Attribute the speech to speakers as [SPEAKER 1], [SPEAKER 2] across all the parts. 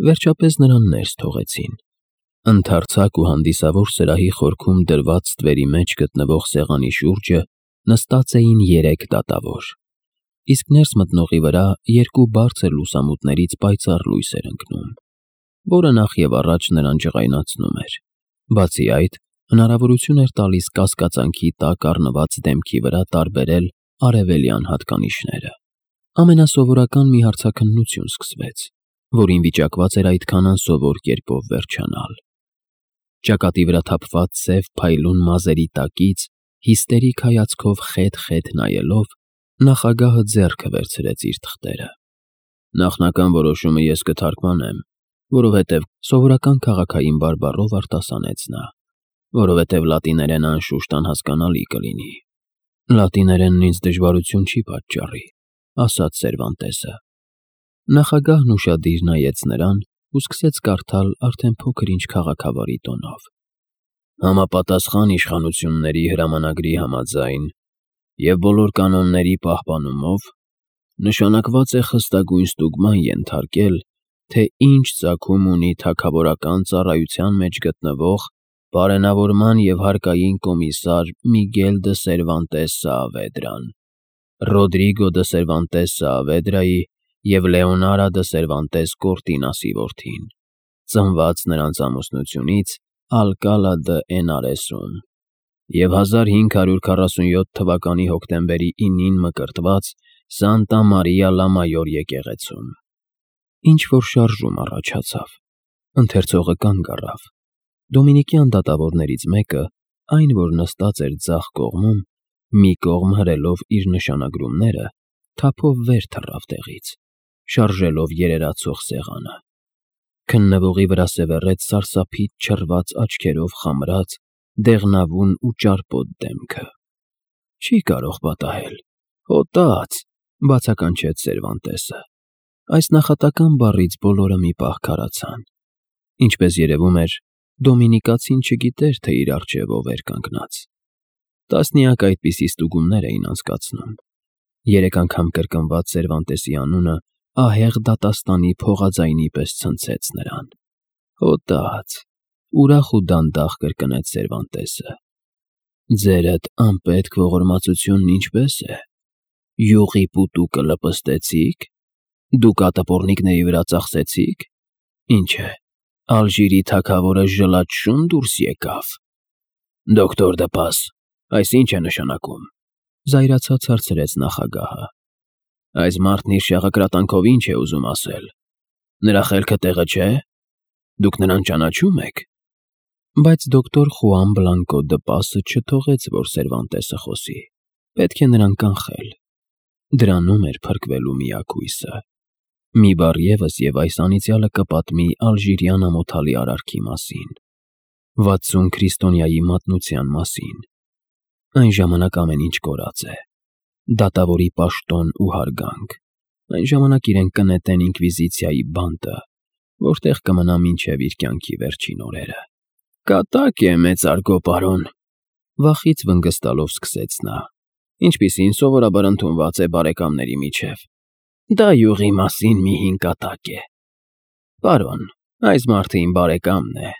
[SPEAKER 1] Վերջապես նրան ներս թողեցին։ Ընդարձակ ու հանդիսավոր սրահի խորքում դրված ստվերի մեջ գտնվող սեղանի շուրջը նստած էին 3 դատավոր, իսկ ներս մտնողի վրա 2 բարձր լուսամուտներից պայծառ լույս էր ընկնում, որը նախ և առաջ նրան ջղայնացնում էր, բացի այդ հնարավորություն էր տալիս կասկածանքի տակ առնված դեմքի վրա տարբերել արևելյան հատկանիշները։ Ամենասովորական մի հարցաքննություն սկսվեց, որին վիճակված էր այդքան անսովոր կերպով վերջանալ։ Ճակատի վրա թափված սև փայլուն մազերի տակից հիստերիկ հայացքով խետ-խետ նայելով, նախագահը ձեռքը վերցրեց իր թղթերը։ Նախնական որոշումը ես կթարգմանեմ, որովհետև սովորական քաղաքային բարբառով արտասանեց նա, որովհետև լատիներենը անշուշտ անհասկանալի կլինի։ Լատիներենն ինձ դժվարություն չի պատճառի, ասաց Սերվանտեսը։ Նախագահն ուշադիր նայեց նրան ու սկսեց կարդալ արդեն փոքր-ինչ քաղաքավարի տոնով. Համապատասխան իշխանությունների հրամանագրի համաձայն և բոլոր կանոնների պահպանումով նշանակված է խստագույն ստուգման ենթարկել, թե ինչ ծագում ունի թագավորական ծառայության մեջ գտնվող բարենավորման և հարկային կոմիսար Միգել դը Սերվանտես Սաավեդրան, Ռոդրիգո դը Սերվանտես Սաավեդրայի և Լեոնարա դը Սերվանտես Կորտինասի որդին, ծնված նրանց ամուսնությունից Ալկալա դը Էնարեսում և 1547 թվականի հոկտեմբերի 9-ին մկրտված Սանտա Մարիա լա Մայոր եկեղեցում։ Ինչ-որ շարժում առաջացավ, ընթերցողը կանգ առավ։ Դոմինիկյան դատավորներից մեկը, այն, որ նստած էր ձախ կողմում, մի կողմ հրելով իր նշանագրումները, թափով վեր թռավ տեղից, շարժելով երերացող սեղանը։ Քննվողի վրա սևեռեց սարսափից չռված աչքերով խամրած, դեղնավուն ու ճարպոտ դեմքը։ Չի կարող պատահել, հոտած, բացականչեց Սերվանտեսը։ Այս նախատական բառից բոլորը մի պահ քարացան։ Ինչպես երևում էր, դոմինիկացին չգիտեր, թե իր առջև ով էր կանգնած։ Տասնյակ այդպիսի ստուգումներ էին անցկացնում։ 3 անգամ կրկնված Սերվանտեսի անունը ահեղ դատաստանի փողաձայնի պես ցնցեց նրան։ Հոտած, ուրախ ու դանդաղ կրկնեց Սերվանտեսը։ Ձերդ անպետք ողորմածությունն ինչպե՞ս է։ Յուղի պուտուկը լպստեցի՞ք։ Դուք ատապորնիկների վրա ծախսեցի՞ք։ Ինչ է, Ալժիրի թագավորը ժլատ շուն դուրս եկավ։ Դոկտոր Դպաս, այս ինչ է նշանակում, զայրացած հարցրեց նախագահը։ Այս մարդն իր շաղակրատանքով ինչ է ուզում ասել։ Նրա խելքը տեղը չէ։ Դուք նրան ճանաչում եք։ Բայց դոկտոր Խուան Բլանկո Դպասը չթողեց, որ Սերվանտեսը խոսի։ Պետք է նրան կանխել։ Դրանում էր փրկվելու միակույսը։ Մի բառ ևս և այս անիծյալը կպատմի ալժիրյան ամոթալի արարքի մասին, 60 քրիստոնյայի մատնության մասին։ Այն ժամանակ ամեն ինչ կորած է։ Դատավորի պաշտոն ու հարգանք։ Այն ժամանակ իրենք կնետեն ինկվիզիցիայի բանտը, որտեղ կմնա մինչև իր կյանքի վերջին օրերը։ Կատակ է, մեծարգո պարոն, վախից վնգստալով սկսեց նա, ինչպիսին սովորաբար ընդունված է բարեկամների միջև։ Դա յուղի մասին մի հին կատակ է։ Պարոն, այս մարդը իմ բարեկամն է։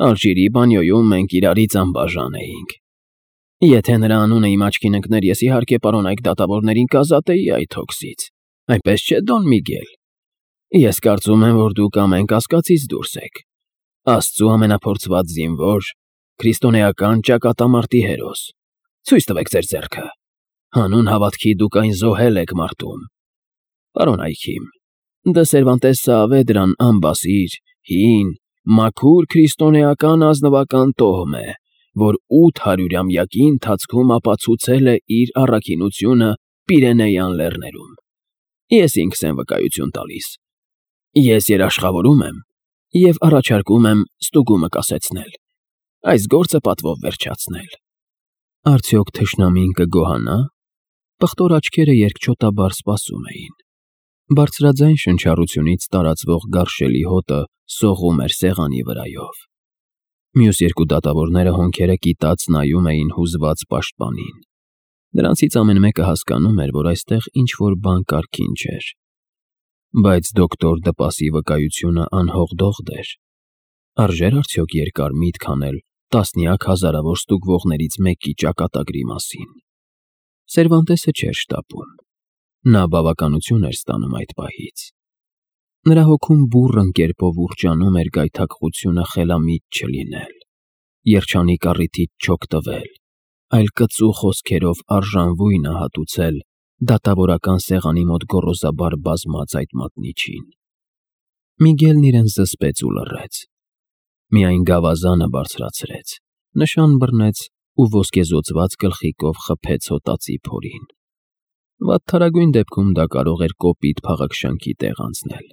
[SPEAKER 1] Ալժիրի բանյոյում մենք իրարից անբաժան էինք։ Եթե նրա անունը իմ աչքին ընկներ, ես իհարկե պարոն այդ դատավորներին կազատեի այդ հոգսից։ Այնպես չէ, Դոն Միգել։ Ես կարծում եմ, որ դուք ամեն կասկածից դուրս եք։ Աստծու ամենափորձված զինվոր, քրիստոնեական ճակատամարտի հերոս։ Ցույց տվեք ձեր ձեռքը։ Հանուն հավատքի դուք այն զոհել եք մարտում։ Պարոն Այքիմ, Դը Սերվանտես Սաավեդրան անբասիր, հին, մաքուր քրիստոնեական ազնվական տոհմ է, որ 800-ամյակի ընթացքում ապացուցել է իր առաքինությունը Պիրենեյան լեռներում։ Ես ինքս եմ վկայություն տալիս։ Ես երաշխավորում եմ և առաջարկում եմ ստուգումը կասեցնել, այս գործը պատվով վերջացնել։ Արդյոք թշնամին կգոհանա։ Պղտոր աչքերը երկչոտաբար սպասում էին։ Բարձրաձայն շնչառությունից տարածվող գարշելի հոտը սողում էր սեղանի վրայով։ Մյուս 2 դատավորները հոնքերը կիտած նայում էին հուզված պաշտպանին։ Նրանցից ամեն մեկը հասկանում էր, որ այստեղ ինչ-որ բան կարգին չէր։ Բայց դոկտոր Դպասի վկայությունը անհողդողդ էր։ Արժեր արդյոք երկար միտք անել տասնյակ հազարավոր ստուգվողներից մեկի ճակատագրի մասին։ Սերվանտեսը չէր շտապում։ Նա բավականություն էր ստանում այդ պահից։ Նրա հոգում բուռն կերպով ուռճանում էր գայթակղությունը խելամիտ չլինել, երջանիկ առիթից չօգտվել, այլ կծու խոսքերով արժանվույնը հատուցել դատավորական սեղանի մոտ գոռոզաբար բազմած այդ մատնիչին։ Միգելն իրեն զսպեց ու լռեց։ Միայն գավազանը բարձրացրեց, նշան բռնեց ու ոսկեզօծված գլխիկով խփեց հոտածի փորին։ Վատթարագույն դեպքում դա կարող էր կոպիտ փաղաքշանքի տեղ անցնել,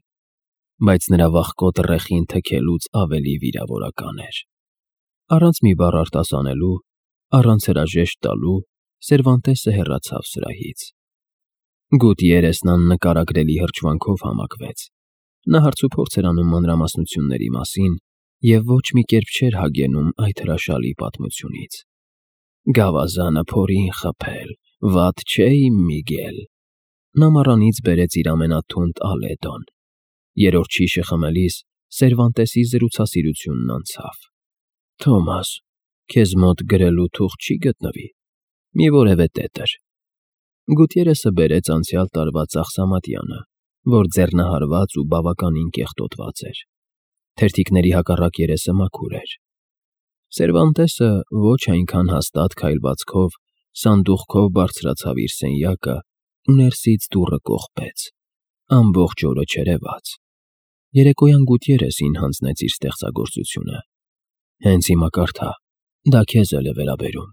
[SPEAKER 1] բայց նրա վախկոտ ռեխին թքելուց ավելի վիրավորական էր։ Առանց մի բառ արտասանելու, առանց հրաժեշտ տալու, Սերվանտեսը հեռացավ սրահից։ Գուտիերեսն աննկարագրելի հրճվանքով համակվեց։ Նա հարցուփորձ էր անում մանրամասնությունների մասին և ոչ մի կերպ չէր հագենում այդ հրաշալի պատմությունից։ Գավազանը փորին խփել, վատ չէ, իմ Միգել։ Նա մառանից բերեց իր ամենաթունդ ալեդոն։ Երրորդ շիշը խմելիս Սերվանտեսի զրուցասիրությունն անցավ։ Թոմաս, քեզ մոտ գրելու թուղթ չի գտնվի։ Մի որևէ տետր։ Գուտիերեսը բերեց անցյալ տարվա ծախսամատյանը, որ ձեռնահարված ու բավականին կեղտոտված էր։ Թերթիկների հակառակ երեսը մաքուր էր։ Սերվանտեսը ոչ այնքան հաստատ քայլվածքով սանդուղքով բարձրացավ իր սենյակը ու ներսից դուռը կողպեց։ Ամբողջ օրը չերևաց։ Երեկոյան Գուտիերեսին հանձնեց իր ստեղծագործությունը։ Հենց հիմա կարդա, դա քեզ էլ է վերաբերում։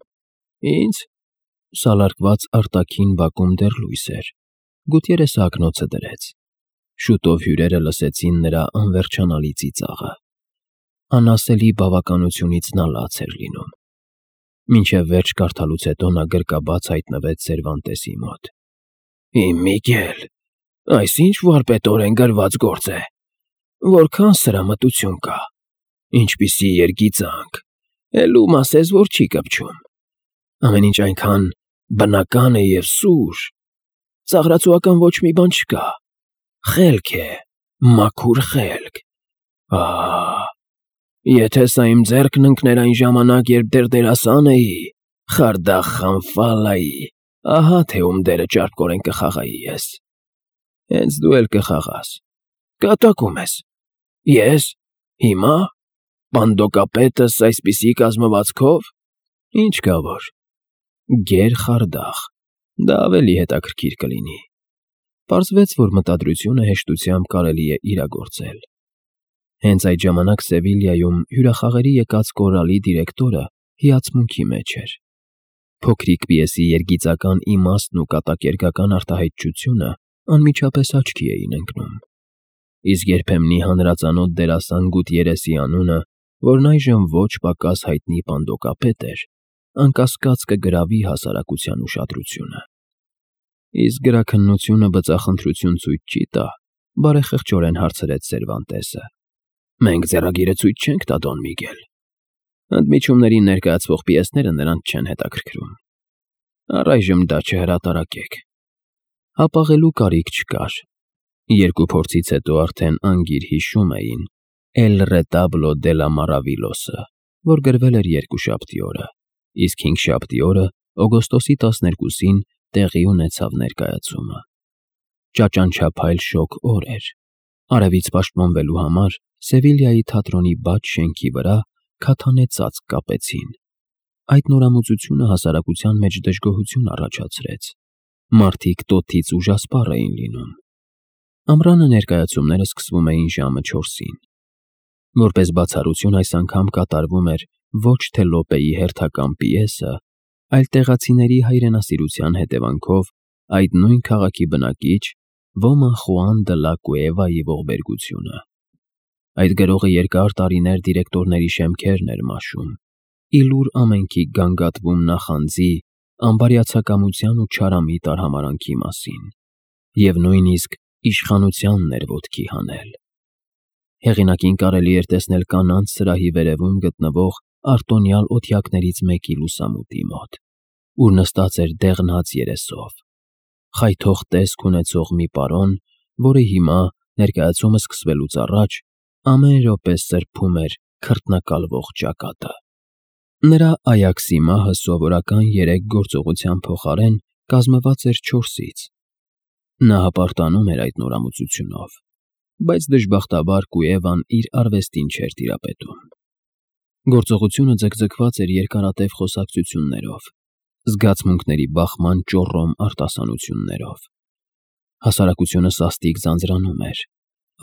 [SPEAKER 1] Ինձ։ Սալարկված արտաքին բակում դեռ լույս էր։ Գուտիերեսը ակնոցը դրեց։ Շուտով հյուրերը լսեցին նրա անվերջանալի ծիծաղը։ Անասելի բավականությունից նա լաց էր լինում։ Մինչև վերջ կարդալուց հետո նա գրկաբաց հայտնվեց Սերվանտեսի մոտ։ Իմ Միգել, այս ինչ վարպետորեն գրված գործ է։ Որքան սրամտություն կա։ Ինչպիսի երգիծանք։ Էլում ասես, որ չի կպչում։ Ամեն ինչ այնքան բնական է և սուր։ Ծաղրացուական ոչ մի բան չկա։ Խելք է, մաքուր խելք։ Եթե սա իմ ձեռքն ընկներ այն ժամանակ, երբ դեռ դերասան էի, Խարդախ Խանֆալայի, ահա թե ում դերը ճարպկորեն կխաղայի ես։ Հենց դու էլ կխաղաս։ Կատակում ես։ Ես։ Հիմա։ Պանդոկապետս այսպիսի կազմվածքով։ Ինչ կա որ։ Գեր Խարդախ։ Դա ավելի հետաքրքիր կլինի։ Պարզվեց, որ մտադրությունը հեշտությամբ կարելի է իրագործել։ Հենց այդ ժամանակ Սևիլյայում հյուրախաղերի եկած կորալի դիրեկտորը հիացմունքի մեջ էր։ Փոքրիկ պիեսի երգիծական իմաստն ու կատակերգական արտահայտչությունը անմիջապես աչքի էին ընկնում։ Իսկ երբեմնի հանրածանոթ դերասան Գուտիերեսի անունը, որն այժմ ոչ պակաս հայտնի պանդոկապետ էր, անկասկած կգրավի հասարակության ուշադրությունը։ Իսկ գրաքննությունը բծախնդրություն ցույց չի տա, բարեխղճորեն հարցրեց Սերվանտեսը։ Մենք ձեռագիրը ցույց չենք տա, Դոն Միգել։ Ընդմիջումներին ներկայացվող պիեսները նրանց չեն հետաքրքրում։ Առայժմ դա չհրատարակեք։ Հապաղելու կարիք չկար։ Երկու փորձից հետո արդեն անգիր հիշում էին El retablo de la Maravillosa, որ գրվել էր երկուշաբթի օրը, իսկ հինգշաբթի օրը օգոստոսի 12-ին տեղի ունեցավ ներկայացումը։ Ճաճանչափայլ շոգ օր էր։ Արևից պաշտպանվելու համար Սևիլյայի թատրոնի բաց շենքի վրա քաթանե ծածկ կապեցին։ Այդ նորամուծությունը հասարակության մեջ դժգոհություն առաջացրեց։ Մարդիկ տոթից ուժասպառ էին լինում։ Ամռանը ներկայացումները սկսվում էին ժամը 4-ին։ Որպես բացառություն այս անգամ կատարվում էր ոչ թե Լոպեի հերթական պիեսը, այլ տեղացիների հայրենասիրության հետևանքով այդ նույն քաղաքի բնակիչ Ոման Խուան դը լա Կուևայի ողբերգությունը։ Այդ գրողը երկար տարիներ դիրեկտորների շեմքերն էր մաշում, իլուր ամենքի գանգատվում նախանձի, անբարյացակամության ու չարամիտ արհամարանքի մասին, և նույնիսկ իշխանությանն էր ոտքի հանել։ Հեղինակին կարելի էր տեսնել կանանց սրահի վերևում գտնվող արտոնյալ օթյակներից մեկի լուսամուտի մոտ, ուր նստած էր դեղնած երեսով, խայթող տեսք ունեցող մի պարոն, որը հիմա ներկայացումը սկսվելուց առաջ ամեն րոպե սրբում էր քրտնակալվող ճակատը։ Նրա Այաքսի մահը սովորական 3 գործողության փոխարեն կազմված էր 4-ից։ Նա հպարտանում էր այդ նորամուծությունով, բայց դժբախտաբար Կուևան իր արվեստին չէր տիրապետում։ Գործողությունը ձգձգված էր երկարատև խոսակցություններով, զգացմունքների բախման ճոռոմ արտասանություններով։ Հասարակությունը սաստիկ ձանձրանում էր,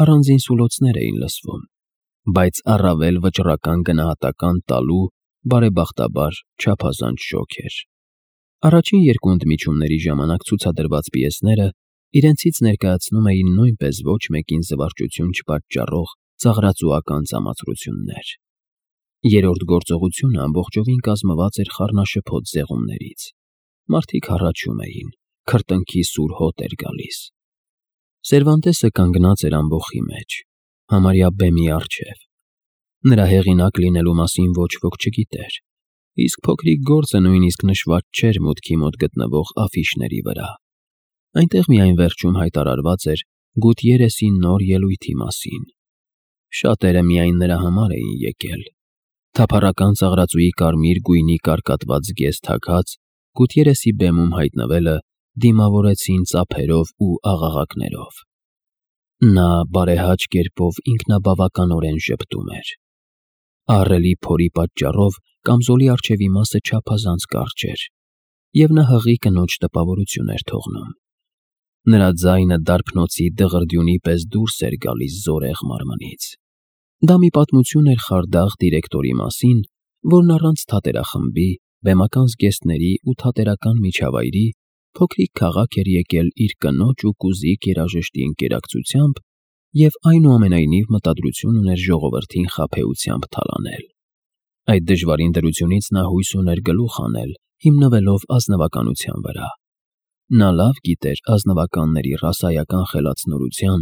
[SPEAKER 1] առանձին սուլոցներ էին լսվում, բայց առավել վճռական գնահատական տալու բարեբախտաբար չափազանց շոգ էր։ Առաջին 2 ընդմիջումների ժամանակ ցուցադրված պիեսները իրենցից ներկայացնում էին նույնպես ոչ մեկին զվարճություն չպատճառող ծաղրածուական ծամացրություններ։ Երրորդ գործողությունը ամբողջովին կազմված էր խառնաշփոթ զեղումներից։ Մարդիկ հառաչում էին, քրտինքի սուր հոտ էր գալիս։ Սերվանտեսը կանգնած էր ամբոխի մեջ, համարյա բեմի առջև։ Նրա հեղինակ լինելու մասին ոչ ոք չգիտեր, իսկ փոքրիկ գործը նույնիսկ նշված չէր մուտքի մոտ գտնվող աֆիշների վրա։ Այնտեղ միայն վերջում հայտարարված էր Գուտիերեսի նոր ելույթի մասին։ Շատերը միայն նրա համար էին եկել։ Թափառական ծաղրածուի կարմիր գույնի կարկատված գեզ թաքած Գուտիերեսի բեմում հայտնվելը դիմավորեցին ծափերով ու աղաղակներով։ Նա բարեհաճ կերպով ինքնաբավականորեն ժպտում էր։ Ահռելի փորի պատճառով կամզոլի առջևի մասը չափազանց կարճ էր, և նա հղի կնոջ տպավորություն էր թողնում։ Նրա ձայնը դարբնոցի դղրդյունի պես դուրս էր գալիս զորեղ մարմնից։ Դա մի պատմություն էր խարդախ դիրեկտորի մասին, որն առանց թատերախմբի, բեմական զգեստների ու թատերական միջավայրի փոքրիկ քաղաք էր եկել իր կնոջ ու կուզիկ երաժշտի ընկերակցությամբ և այնուամենայնիվ մտադրություն ուներ ժողովրդին խաբեությամբ թալանել։ Այդ դժվարին դրությունից նա հույս ուներ գլուխ հանել, հիմնվելով ազնվականության վրա։ Նա լավ գիտեր ազնվականների ռասայական խելացնորության,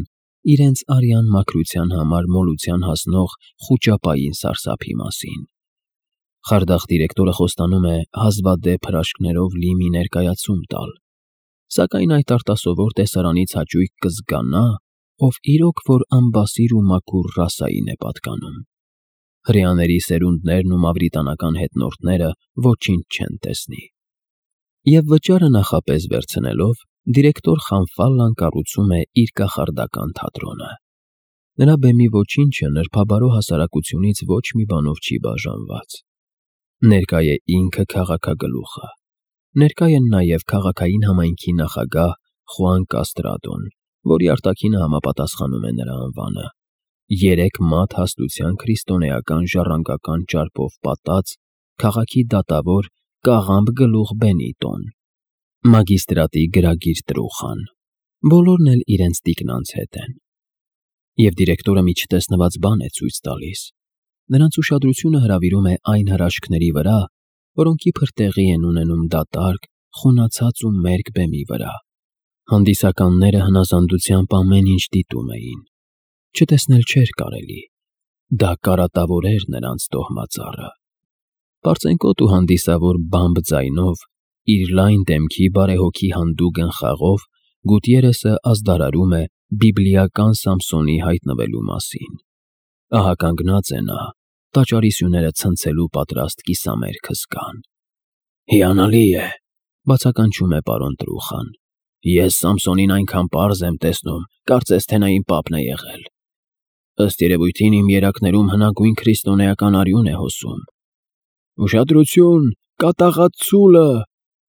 [SPEAKER 1] իրենց արյան մաքրության համար մոլության հասնող խուճապային սարսափի մասին։ Խարդախ դիրեկտորը խոստանում է հազվադեպ հրաշքներով լի մի ներկայացում տալ, սակայն այդ արտասովոր տեսարանից հաճույք կզգա նա, ով իրոք որ անբասիր ու մաքուր ռասային է պատկանում։ Հրեաների սերունդներն ու մավրիտանական հետնորդները ոչինչ չեն տեսնի։ Եվ վճարը նախապես վերցնելով, դիրեկտոր Խանֆալլան կառուցում է իր կախարդական թատրոնը։ Նրա բեմի ոչինչը նրբաբարո հասարակությունից ոչ մի բանով չի բաժանված։ Ներկա է ինքը քաղաքագլուխը։ Ներկա են նաև քաղաքային համայնքի նախագահ Խուան Կաստրադոն, որի արտաքինը համապատասխանում է նրա անվանը, 3 մատ հաստության քրիստոնեական ժառանգական ճարպով պատած քաղաքի դատավոր Կաղամբ գլուխ Բենիտոն, մագիստրատի գրագիր Տրուխան, բոլորն էլ իրենց տիկնանց հետ են։ Եվ դիրեկտորը մի չտեսնված բան է ցույց տալիս։ Նրանց ուշադրությունը հրավիրում է այն հրաշքների վրա, որոնք իբր տեղի են ունենում դատարկ, խունացած ու մերկ բեմի վրա։ Հանդիսականները հնազանդությամբ ամեն ինչ դիտում էին։ Չտեսնել չէր կարելի։ Դա կարատավոր էր նրանց տոհմածառը։ Պարծենկոտ ու հանդիսավոր բամբ ձայնով, իր լայն դեմքի բարեհոգի հանդուգն խաղով Գուտիերեսը ազդարարում է բիբլիական Սամսոնի հայտնվելու մասին։ Ահա կանգնած է նա, տաճարի սյուները ցնցելու պատրաստ կիսամերկ հսկան։ «Հիանալի է», բացականչում է պարոն Տրուխան։ «Ես Սամսոնին այնքան պարզ եմ տեսնում, կարծես թե նա իմ պապն է եղել։ Ըստ երևույթին իմ երակներում հնագույն քրիստոնեական արյուն է հոսում։ Ուշադրություն, կատաղած ցուլը,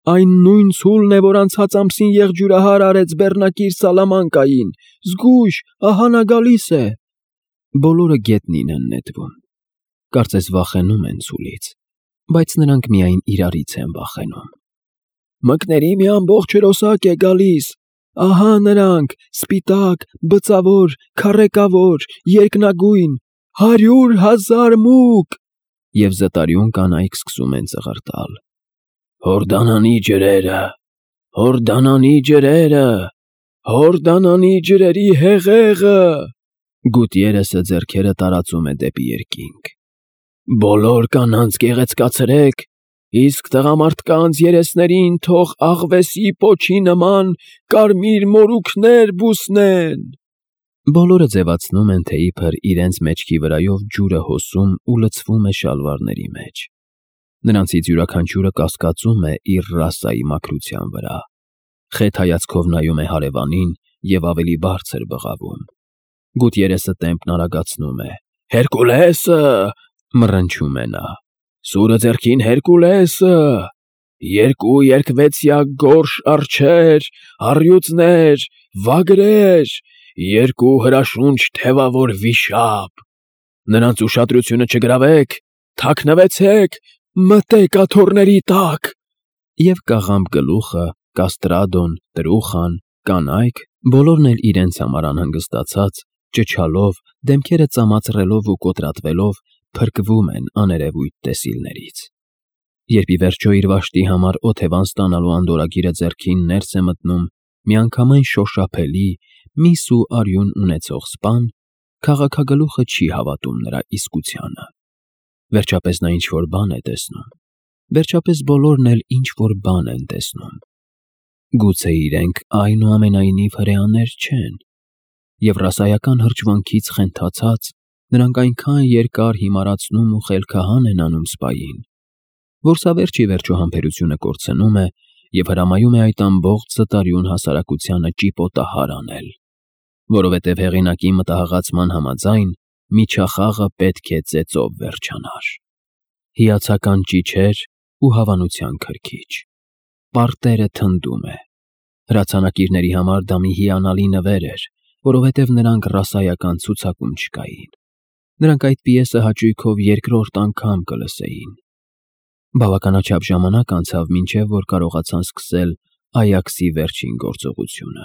[SPEAKER 1] այն նույն ցուլն է, որ անցած ամսին եղջյուրահար արեց բեռնակիր Սալամանկային, զգույշ, ահա նա գալիս է»։ Բոլորը գետնին են նետվում։ Կարծես վախենում են ցուլից, բայց նրանք միայն իրարից են վախենում։ «Մկների մի ամբողջ հրոսակ է գալիս, ահա նրանք, սպիտակ, բծավոր, քառեկավոր, երկնագույն, 100,000 մուկ»։ Եվ զտարյուն կանայք սկսում են ծղրտալ. «Հորդանանի ջրերը, Հորդանանի ջրերը, Հորդանանի ջրերի հեղեղը»։ Գուտիերեսը ձեռքերը տարածում է դեպի երկինք։ «Բոլոր կանանց գեղեցկացրեք, իսկ տղամարդկանց երեսներին թող աղվեսի պոչի նման կարմիր մորուքներ բուսնեն»։ Բոլորը ձևացնում են, թե իբր իրենց մեջքի վրայով ջուրը հոսում ու լցվում է շալվարների մեջ։ Նրանցից յուրաքանչյուրը կասկածում է իր ռասայի մաքրության վրա։ Խեթ հայացքով նայում է հարևանին և ավելի բարձր բղավում։ Գութ երեսը տեմպն արագացնում է։ «Հերկուլեսը!» մռնչում է նա։ «Սուրը ձեռքին Հերկուլեսը! Երկու երկվեցյակ գորշ արջեր, առյուծներ, վագրեր, երկու հրաշունչ թևավոր վիշապ։ Նրանց ուշադրությունը չգրավեք, թաքնվեցեք, մտեք աթոռների տակ»։ Եվ կաղամբ գլուխը, կաստրադոն, տրուխան, կանայք, բոլորն էլ իրենց համար անհանգստացած, ճչալով, դեմքերը ծամածռելով ու կոտրատվելով, փրկվում են աներևույթ տեսիլներից։ Երբ ի վերջո իր վաշտի համար օթևան ստանալու անդորրագիրը ձեռքին ներս է մտնում միանգամայն շոշափելի, միս ու արյուն ունեցող սպան, քաղաքագլուխը չի հավատում նրա իսկությանը։ Վերջապես նա ինչ-որ բան է տեսնում։ Վերջապես բոլորն էլ ինչ-որ բան են տեսնում։ Գուցե իրենք այնուամենայնիվ հրեաներ չեն։ Եվ ռասայական հրճվանքից խենթացած, նրանք այնքան երկար հիմարացնում ու խելքահան են անում սպային, որ սա վերջ ի վերջո համբերությունը կորցնում է և հրամայում է այդ ամբողջ զտարյուն հասարակությանը ճիպոտահար անել, որովհետև հեղինակի մտահղացման համաձայն միջախաղը պետք է ծեծով վերջանար։ Հիացական ճիչեր ու հավանության քրքիջ։ Պարտերը թնդում է։ Հրացանակիրների համար դա մի հիանալի նվեր էր, որովհետև նրանք ռասայական ցուցակում չկային։ Նրանք այդ պիեսը հաճույքով երկրորդ անգամ կլսեին։ Բավականաչափ ժամանակ անցավ, մինչև որ կարողացան սկսել Այաքսի վերջին գործողությունը։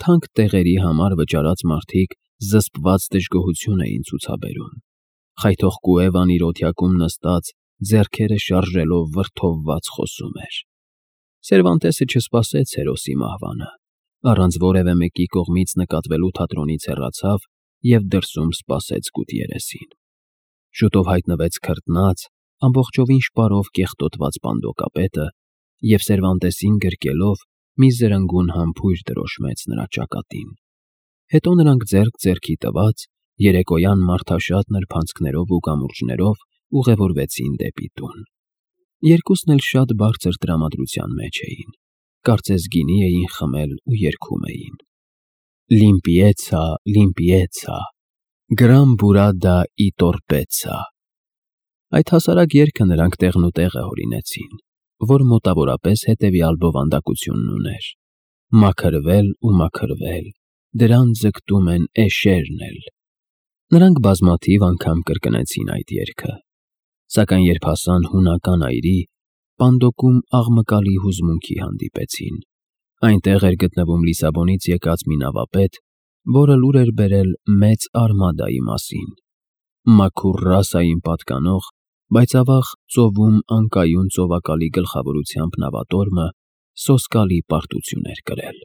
[SPEAKER 1] Թանկ տեղերի համար վճարած մարդիկ զսպված դժգոհություն էին ցուցաբերում։ Խայթող Կուևան իր օթյակում նստած, ձեռքերը շարժելով վրդովված խոսում էր։ Սերվանտեսը չսպասեց հերոսի մահվանը, առանց որևէ մեկի կողմից նկատվելու թատրոնից հեռացավ և դրսում սպասեց գութ երեսին։ Շուտով հայտնվեց քրտնած, ամբողջովին շպարով կեղտոտված պանդոկապետը և Սերվանտեսին գրկելով մի զրնգուն համբույր դրոշմեց նրա ճակատին։ Հետո նրանք ձեռք ձեռքի տված, երեկոյան մարդաշատ նրբանցքներով ու կամուրջներով ուղևորվեցին դեպի տուն։ Երկուսն էլ շատ բարձր տրամադրության մեջ էին, կարծես գինի էին խմել ու երգում էին. Limpieza, limpieza, gran burada y torpeza։ Այդ հասարակ երգը նրանք տեղնուտեղը հորինեցին, որ մոտավորապես հետևյալ բովանդակությունն ուներ. մաքրվել ու մաքրվել, դրան ձգտում են էշերն էլ։ Նրանք բազմաթիվ անգամ կրկնեցին այդ երգը, սակայն երբ հասան հունական այրի, պանդոկում աղմկալի հուզմունքի հանդիպեցին։ Այնտեղ էր գտնվում Լիսաբոնից եկած մի նավապետ, որը լուր էր բերել մեծ արմադայի մասին։ Մաքուր ռասային պատկանող, բայց ավաղ ծովում անկայուն ծովակալի գլխավորությամբ նավատորմը սոսկալի պարտություն էր կրել։